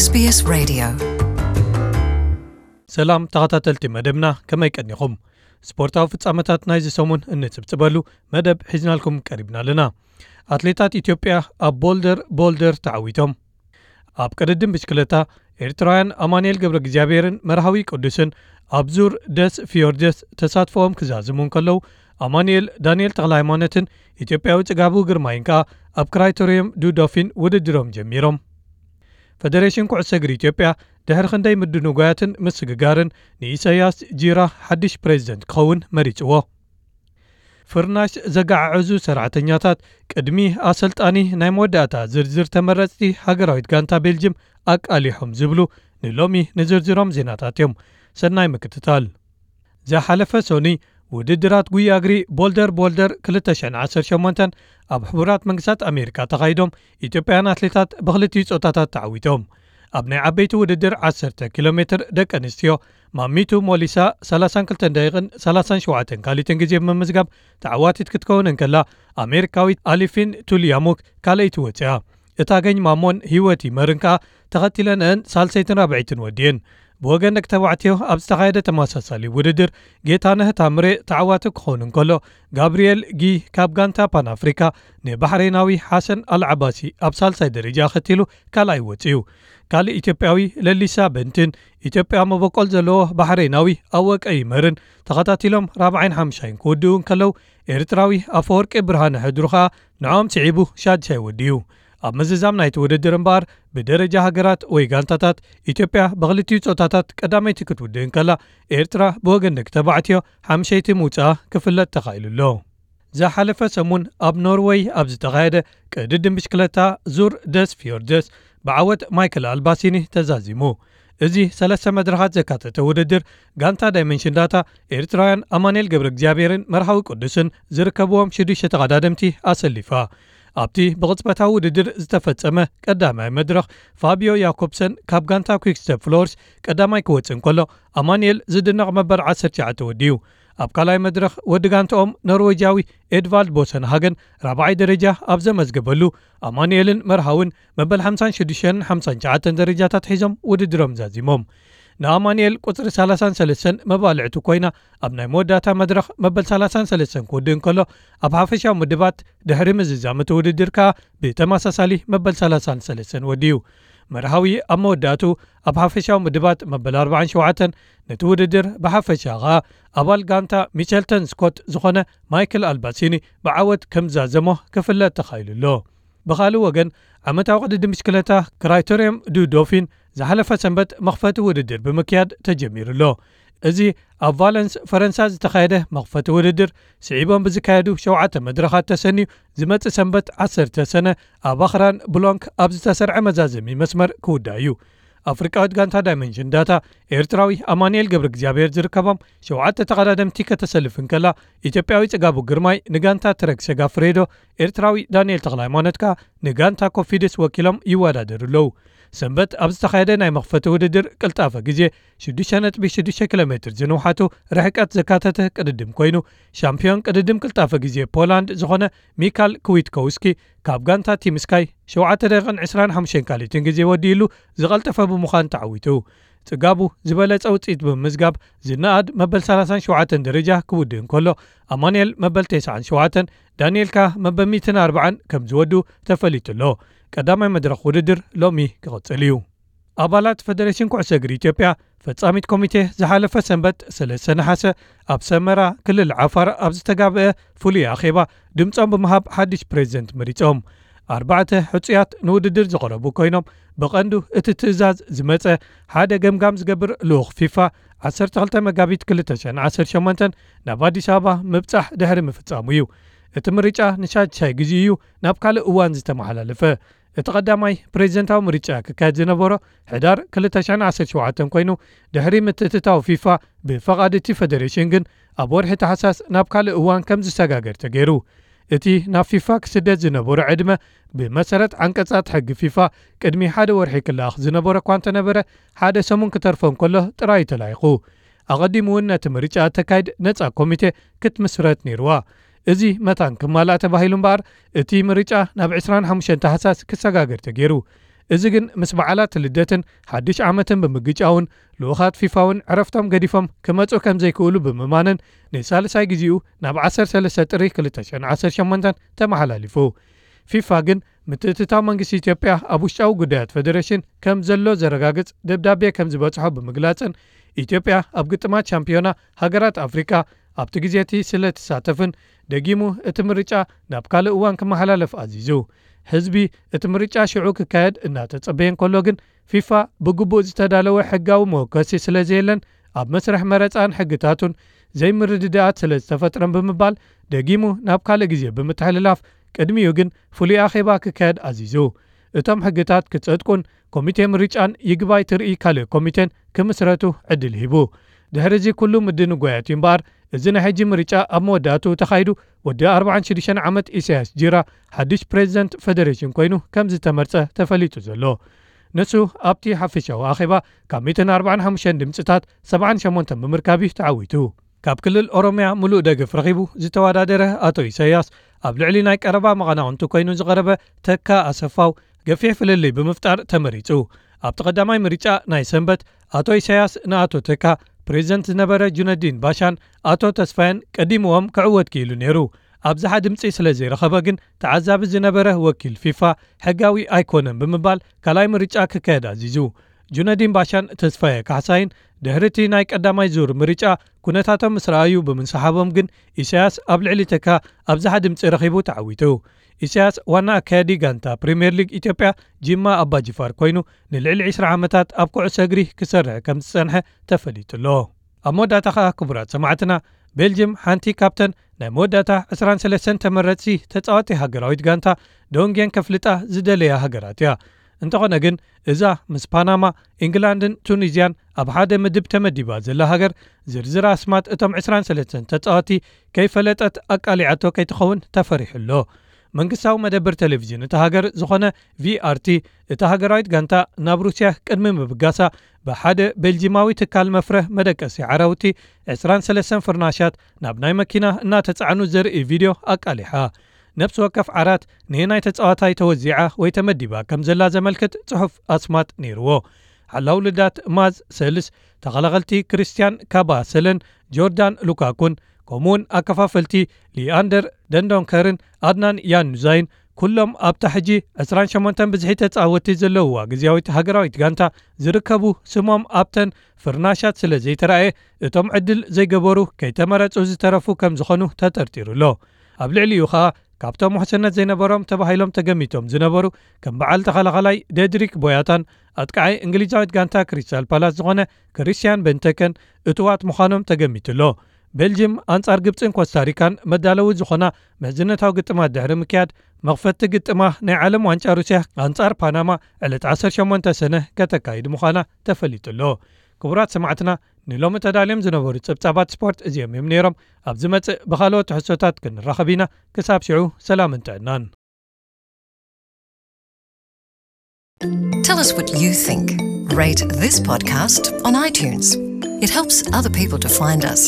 S B S Radio. ሰላም ተኸታተልቲ መደብና፣ ከመይ ቀኒኹም? ስፖርታዊ ፍጻመታት ናይዚ ሰሙን እንጽብጽበሉ መደብ ሒዝናልኩም ቀሪብና ኣለና። ኣትሌታት ኢትዮጵያ ኣብ ቦልደር ቦልደር ተዓዊቶም። ኣብ ቅድድም ብሽክለታ፣ ኤርትራውያን ኣማኑኤል ገብረ እግዚኣብሔርን መርሃዊ ቅዱስን ኣብ ዙር ደስ ፊዮርደስ ተሳትፎኦም ክዛዝሙ እንከለዉ፣ ኣማኑኤል ዳንኤል ተኽለሃይማኖትን ኢትዮጵያዊ ጽጋቡ ግርማይን ከኣ ኣብ ክራይቶሪየም ዱዶፊን ውድድሮም ጀሚሮም። ፈደሬሽን ኩዕሶ እግሪ ኢትዮጵያ ድሕሪ ክንደይ ምድንጓያትን ምስግጋርን ንኢሳያስ ጂራ ሓድሽ ፕሬዝደንት ክኸውን መሪጽዎ። ፍርናሽ ዘገዓዕዙ ሰራሕተኛታት ቅድሚ ኣሰልጣኒ ናይ መወዳእታ ዝርዝር ተመረጽቲ ሃገራዊት ጋንታ ቤልጅም ኣቃሊሖም ዝብሉ ንሎሚ ንዝርዝሮም ዜናታት እዮም። ሰናይ ምክትታል። ዝሓለፈ ሰኑይ ውድድራት ጉያ እግሪ ቦልደር ቦልደር ክልተ ሽሕን ዓሰርተ ሸሞንተን ኣብ ሕቡራት መንግስታት ኣሜሪካ ተኻይዶም፣ ኢትዮጵያውያን ኣትሌታት ብክልቲኡ ጾታታት ተዓዊቶም። ኣብ ናይ ዓበይቲ ውድድር ዓሰርተ ኪሎ ሜትር ደቂ ኣንስትዮ፣ ማሚቱ ሞሊሳ ሰላሳን ክልተን ደቂቕን ሰላሳን ሸውዓተን ካልኢትን ግዜ ብምምዝጋብ ተዓዋቲት ክትከውን እንከላ፣ ኣሜሪካዊት ኣሊፊን ቱልያሙክ ካልኣይቲ ወፂኣ። እታ ገኝ ማሞን ህይወት ይመርን ከኣ ተኸቲለንአን ሳልሰይትን ራብዐይትን ወዲእን። ብወገን ደቂ ተባዕትዮ ኣብ ዝተኻየደ ተመሳሳሊ ውድድር፣ ጌታነህ ታምሬ ተዓዋቲ ክኸውን እንከሎ፣ ጋብርኤል ጊ ካብ ጋንታ ፓን ኣፍሪካ ንባሕሬናዊ ሓሰን ኣልዓባሲ ኣብ ሳልሳይ ደረጃ ኣኸቲሉ ካልኣይ ወፂኡ። ካልእ ኢትዮጵያዊ ለሊሳ በንትን ኢትዮጵያ መበቆል ዘለዎ ባሕሬናዊ ኣወቀ ይመርን ተኸታቲሎም ራብዓይን ሓምሻይን ክውድኡ እንከለዉ፣ ኤርትራዊ ኣፈወርቂ ብርሃነ ሕድሩ ኸኣ ንዕኦም ስዒቡ ሻድሻይ ወዲኡ። ኣብ ምዝዛም ናይቲ ውድድር እምበኣር፣ ብደረጃ ሃገራት ወይ ጋንታታት፣ ኢትዮጵያ ብኽልቲኡ ጾታታት ቀዳመይቲ ክትውድእ እንከላ፣ ኤርትራ ብወገን ደቂ ተባዕትዮ ሓምሸይቲ ምውጽኣ ክፍለጥ ተኻኢሉ ኣሎ። ዝሓለፈ ሰሙን ኣብ ኖርወይ ኣብ ዝተኻየደ ቅድድም ብሽክለታ ዙር ደስ ፊዮርደስ ብዓወት ማይክል ኣልባሲኒ ተዛዚሙ። እዚ ሰለስተ መድረኻት ዘካተተ ውድድር፣ ጋንታ ዳይመንሽን ዳታ ኤርትራውያን ኣማኑኤል ገብረ እግዚኣብሔርን መርሃዊ ቅዱስን ዝርከብዎም ሽዱሽተ ተቐዳደምቲ ኣሰሊፋ። ኣብቲ ብቕጽበታዊ ውድድር ዝተፈጸመ ቀዳማይ መድረኽ፣ ፋቢዮ ያኮብሰን ካብ ጋንታ ኩክስተፕ ፍሎርስ ቀዳማይ ክወጽእ እንከሎ፣ ኣማኑኤል ዝድነቕ መበል ዓሰርተ ትሽዓተ ወዲኡ። ኣብ ካልኣይ መድረኽ፣ ወዲ ጋንታኦም ኖርዌጃዊ ኤድቫልድ ቦሰንሃገን ራብዓይ ደረጃ ኣብ ዘመዝገበሉ፣ ኣማኑኤልን መርሃውን መበል ሓምሳን ሽዱሽተን ሓምሳን ትሽዓተን ደረጃታት ሒዞም ውድድሮም ዛዚሞም። ንኣማኑኤል ቁጽሪ ሰላሳን ሰለስተን መባልዕቱ ኮይና፣ ኣብ ናይ መወዳእታ መድረኽ መበል ሰላሳን ሰለስተን ክውድእ እንከሎ፣ ኣብ ሓፈሻዊ ምድባት ድሕሪ ምዝዛም እቲ ውድድር ከኣ ብተመሳሳሊ መበል ሰላሳን ሰለስተን ወዲኡ። መርሃዊ ኣብ መወዳእቱ ኣብ ሓፈሻዊ ምድባት መበል ኣርባዓን ሸውዓተን፣ ነቲ ውድድር ብሓፈሻ ከኣ ኣባል ጋንታ ሚቸልተን ስኮት ዝኾነ ማይክል ኣልባሲኒ ብዓወት ከም ዛዘሞ ክፍለጥ ተኻኢሉ ኣሎ። ብኻልእ ወገን፣ ዓመታዊ ቅድድም ብሽክለታ ክራይቶሪየም ዱ ዶፊን ዝሓለፈ ሰንበት መኽፈቲ ውድድር ብምክያድ ተጀሚሩ ኣሎ። እዚ ኣብ ቫለንስ ፈረንሳ ዝተኻየደ መኽፈቲ ውድድር፣ ስዒቦም ብዝካየዱ ሸውዓተ መድረኻት ተሰንዩ ዝመጽእ ሰንበት ዓሰርተ ሰነ ኣብ ኣኽራን ብሎንክ ኣብ ዝተሰርዐ መዛዘሚ መስመር ክውዳእ እዩ። ኣፍሪቃዊት ጋንታ ዳይመንሽን ዳታ ኤርትራዊ ኣማኑኤል ገብረ እግዚኣብሔር ዝርከቦም ሸውዓተ ተቐዳደምቲ ከተሰልፍ እንከላ፣ ኢትዮጵያዊ ጽጋቡ ግርማይ ንጋንታ ትረክ ሰጋፍሬዶ፣ ኤርትራዊ ዳንኤል ተኽለሃይማኖት ከኣ ንጋንታ ኮፊድስ ወኪሎም ይወዳደሩ ኣለዉ። ሰንበት ኣብ ዝተኻየደ ናይ መኽፈቲ ውድድር ቅልጣፈ ግዜ ሽዱሽተ ነጥቢ ሽዱሽተ ኪሎ ሜትር ዝንውሓቱ ርሕቀት ዘካተተ ቅድድም ኮይኑ፣ ሻምፒዮን ቅድድም ቅልጣፈ ግዜ ፖላንድ ዝኾነ ሚካል ክዊትኮውስኪ ካብ ጋንታ ቲም ስካይ ሸውዓተ ደቂቕን ዕስራን ሓሙሽተን ካልኢትን ግዜ ወዲእሉ ዝቐልጠፈ ብምዃን ተዓዊቱ። ጽጋቡ ዝበለጸ ውጽኢት ብምምዝጋብ ዝነኣድ መበል ሰላሳን ሸውዓተን ደረጃ ክውድእ እንከሎ፣ ኣማኑኤል መበል ተስዓን ሸውዓተን፣ ዳንኤል ከኣ መበል ሚእትን ኣርባዓን ከም ዝወድኡ ተፈሊጡ ኣሎ። ቀዳማይ መድረኽ ውድድር ሎሚ ክቕጽል እዩ። ኣባላት ፈደሬሽን ኩዕሶ እግሪ ኢትዮጵያ ፈጻሚት ኮሚቴ ዝሓለፈ ሰንበት ሰለስተ ነሓሰ ኣብ ሰመራ ክልል ዓፋር ኣብ ዝተጋብአ ፍሉይ ኣኼባ ድምጾም ብምሃብ ሓድሽ ፕሬዝደንት መሪጾም። ኣርባዕተ ሕጹያት ንውድድር ዝቐረቡ ኮይኖም፣ ብቐንዱ እቲ ትእዛዝ ዝመጸ ሓደ ገምጋም ዝገብር ልኡኽ ፊፋ ዓሰርተ ክልተ መጋቢት ክልተ ሽሕን ዓሰርተ ሸሞንተን ናብ ኣዲስ ኣበባ ምብጻሕ ድሕሪ ምፍጻሙ እዩ። እቲ ምርጫ ንሻድሻይ ግዜ እዩ ናብ ካልእ እዋን ዝተመሓላለፈ። እቲ ቀዳማይ ፕሬዝደንታዊ ምርጫ ክካየድ ዝነበሮ ሕዳር ክልተ ሽሕን ዓሰርተ ሸውዓተን ኮይኑ፣ ድሕሪ ምትእትታው ፊፋ ብፈቓድ እቲ ፈደሬሽን ግን ኣብ ወርሒ ታሕሳስ ናብ ካልእ እዋን ከም ዝሰጋገር ተገይሩ። እቲ ናብ ፊፋ ክስደድ ዝነበሮ ዕድመ፣ ብመሰረት ዓንቀጻት ሕጊ ፊፋ፣ ቅድሚ ሓደ ወርሒ ክለኣኽ ዝነበሮ እኳ እንተነበረ፣ ሓደ ሰሙን ክተርፎ እንከሎ ጥራይ ተላኢኹ። ኣቐዲሙ እውን ነቲ ምርጫ እተካይድ ነጻ ኮሚቴ ክትምስረት ነይርዋ። እዚ መታን ክማላእ ተባሂሉ እምበኣር፣ እቲ ምርጫ ናብ ዕስራን ሓሙሽተን ታሕሳስ ክሰጋገር ተገይሩ። እዚ ግን ምስ በዓላት ልደትን ሓድሽ ዓመትን ብምግጫውን፣ ልኡኻት ፊፋ እውን ዕረፍቶም ገዲፎም ክመጹ ከም ዘይክእሉ ብምማንን፣ ንሳልሳይ ግዜኡ ናብ ዓሰርተ ሰለስተ ጥሪ ክልተ ሽሕን ዓሰርተ ሸሞንተን ተመሓላሊፉ። ፊፋ ግን ምትእትታው መንግስቲ ኢትዮጵያ ኣብ ውሽጣዊ ጉዳያት ፌደሬሽን ከም ዘሎ ዘረጋግጽ ደብዳቤ ከም ዝበጽሖ ብምግላጽን፣ ኢትዮጵያ ኣብ ግጥማት ሻምፒዮና ሃገራት ኣፍሪቃ ኣብቲ ግዜ እቲ ስለ ትሳተፍን፣ ደጊሙ እቲ ምርጫ ናብ ካልእ እዋን ክመሓላለፍ ኣዚዙ። ህዝቢ እቲ ምርጫ ሽዑ ክካየድ እናተጸበየ እንከሎ ግን፣ ፊፋ ብግቡእ ዝተዳለወ ሕጋዊ መወከሲ ስለ ዘየለን፣ ኣብ መስርሕ መረጻን ሕግታቱን ዘይምርድዳኣት ስለ ዝተፈጥረን ብምባል፣ ደጊሙ ናብ ካልእ ግዜ ብምትሕልላፍ፣ ቅድሚኡ ግን ፍሉይ ኣኼባ ክካየድ ኣዚዙ። እቶም ሕግታት ክጸድቁን ኮሚቴ ምርጫን ይግባይ ትርኢ ካልእ ኮሚቴን ክምስረቱ ዕድል ሂቡ። ድሕሪ እዚ ኩሉ ምድንጓያት እዩ እምበኣር፣ እዚ ናይ ሕጂ ምርጫ ኣብ መወዳእትኡ ተኻይዱ፣ ወዲ ኣርባዓን ሽዱሽተን ዓመት ኢሳያስ ጂራ ሓድሽ ፕሬዚደንት ፌደሬሽን ኮይኑ ከም ዝተመርጸ ተፈሊጡ ዘሎ። ንሱ ኣብቲ ሓፈሻዊ ኣኼባ ካብ ሚእትን ኣርባዓን ሓሙሽተን ድምጽታት ሰብዓን ሸሞንተን ብምርካብ እዩ ተዓዊቱ። ካብ ክልል ኦሮምያ ምሉእ ደገፍ ረኺቡ ዝተወዳደረ ኣቶ ኢሳያስ፣ ኣብ ልዕሊ ናይ ቀረባ መቐናቕንቱ ኮይኑ ዝቐረበ ተካ ኣሰፋው ገፊሕ ፍልልይ ብምፍጣር ተመሪጹ። ኣብቲ ቀዳማይ ምርጫ ናይ ሰንበት፣ ኣቶ ኢሳያስ ንኣቶ ተካ፣ ፕሬዚደንት ዝነበረ ጁነዲን ባሻን ኣቶ ተስፋየን ቀዲምዎም ክዕወት ክኢሉ ነይሩ። ኣብዝሓ ድምጺ ስለ ዘይረኸበ ግን፣ ተዓዛቢ ዝነበረ ወኪል ፊፋ ሕጋዊ ኣይኮነን ብምባል ካልኣይ ምርጫ ክካየድ ኣዚዙ። ጁነዲን ባሻን ተስፋየ ካሕሳይን ድሕሪ እቲ ናይ ቀዳማይ ዙር ምርጫ ኩነታቶም ምስ ረኣዩ ብምንስሓቦም ግን፣ ኢሳያስ ኣብ ልዕሊ ተካ ኣብዝሓ ድምጺ ረኺቡ ተዓዊቱ። ኢሳያስ ዋና ኣካያዲ ጋንታ ፕሪምየር ሊግ ኢትዮጵያ ጂማ ኣባጅፋር ኮይኑ፣ ንልዕሊ ዕስራ ዓመታት ኣብ ኩዕሶ እግሪ ክሰርሕ ከም ዝጸንሐ ተፈሊጡ ኣሎ። ኣብ መወዳእታ ኸኣ ክቡራት ሰማዕትና፣ ቤልጅም ሓንቲ ካብተን ናይ መወዳእታ ዕስራን ሰለስተን ተመረጽቲ ተጻወቲ ሃገራዊት ጋንታ ዶንጌን ከፍልጣ ዝደለያ ሃገራት እያ። እንተኾነ ግን፣ እዛ ምስ ፓናማ፣ ኢንግላንድን ቱኒዝያን ኣብ ሓደ ምድብ ተመዲባ ዘላ ሃገር፣ ዝርዝር ኣስማት እቶም ዕስራን ሰለስተን ተጻወቲ ከይፈለጠት ኣቃሊዓቶ ከይትኸውን ተፈሪሑ ኣሎ። መንግስታዊ መደበር ቴሌቪዥን እታ ሃገር ዝኾነ ቪኣርቲ፣ እታ ሃገራዊት ጋንታ ናብ ሩስያ ቅድሚ ምብጋሳ፣ ብሓደ ቤልጂማዊ ትካል መፍረ መደቀሲ ዓራውቲ ዕስራን ሰለስተን ፍርናሻት ናብ ናይ መኪና እናተጻዕኑ ዘርኢ ቪድዮ ኣቃሊሓ። ነፍሲ ወከፍ ዓራት ንየናይ ተጻዋታይ ተወዚዓ ወይ ተመዲባ ከም ዘላ ዘመልክት ጽሑፍ ኣስማት ነይርዎ። ሓላው ልዳት ማዝ ሰልስ፣ ተኸላኸልቲ ክርስቲያን ካባሰለን ጆርዳን ሉካኩን፣ ከምኡውን ኣከፋፈልቲ ሊኣንደር ደንዶንከርን ኣድናን ያኑዛይን፣ ኩሎም ኣብታ ሕጂ ዕስራን ሸሞንተን ብዝሒ ተጻወትቲ ዘለውዋ ግዝያዊት ሃገራዊት ጋንታ ዝርከቡ፣ ስሞም ኣብተን ፍርናሻት ስለ ዘይተራእየ፣ እቶም ዕድል ዘይገበሩ ከይተመረጹ ዝተረፉ ከም ዝኾኑ ተጠርጢሩ ኣሎ። ኣብ ልዕሊኡ ኸኣ፣ ካብቶም ውሕስነት ዘይነበሮም ተባሂሎም ተገሚቶም ዝነበሩ፣ ከም በዓል ተኸላኸላይ ዴድሪክ ቦያታን ኣጥቃዓይ እንግሊዛዊት ጋንታ ክሪስታል ፓላስ ዝኾነ ክሪስቲያን ቤንተከን እቱዋት ምዃኖም ተገሚቱ ኣሎ። ቤልጅም ኣንጻር ግብጽን ኮስታሪካን መዳለዊ ዝኾና ምሕዝነታዊ ግጥማት ድሕሪ ምክያድ፣ መኽፈቲ ግጥማ ናይ ዓለም ዋንጫ ሩስያ ኣንጻር ፓናማ ዕለት ዓሰርተ ሸሞንተ ሰነ ከተካይድ ምዃና ተፈሊጡ ኣሎ። ክቡራት ሰማዕትና፣ ንሎሚ ተዳልዮም ዝነበሩ ጸብጻባት ስፖርት እዚኦም እዮም ነይሮም። ኣብ ዝመጽእ ብኻልኦት ትሕዝቶታት ክንራኸብ ኢና። ክሳብ ሽዑ፣ ሰላምን ጥዕናን። Tell us what you think. Rate this podcast on iTunes. It helps other people to find us.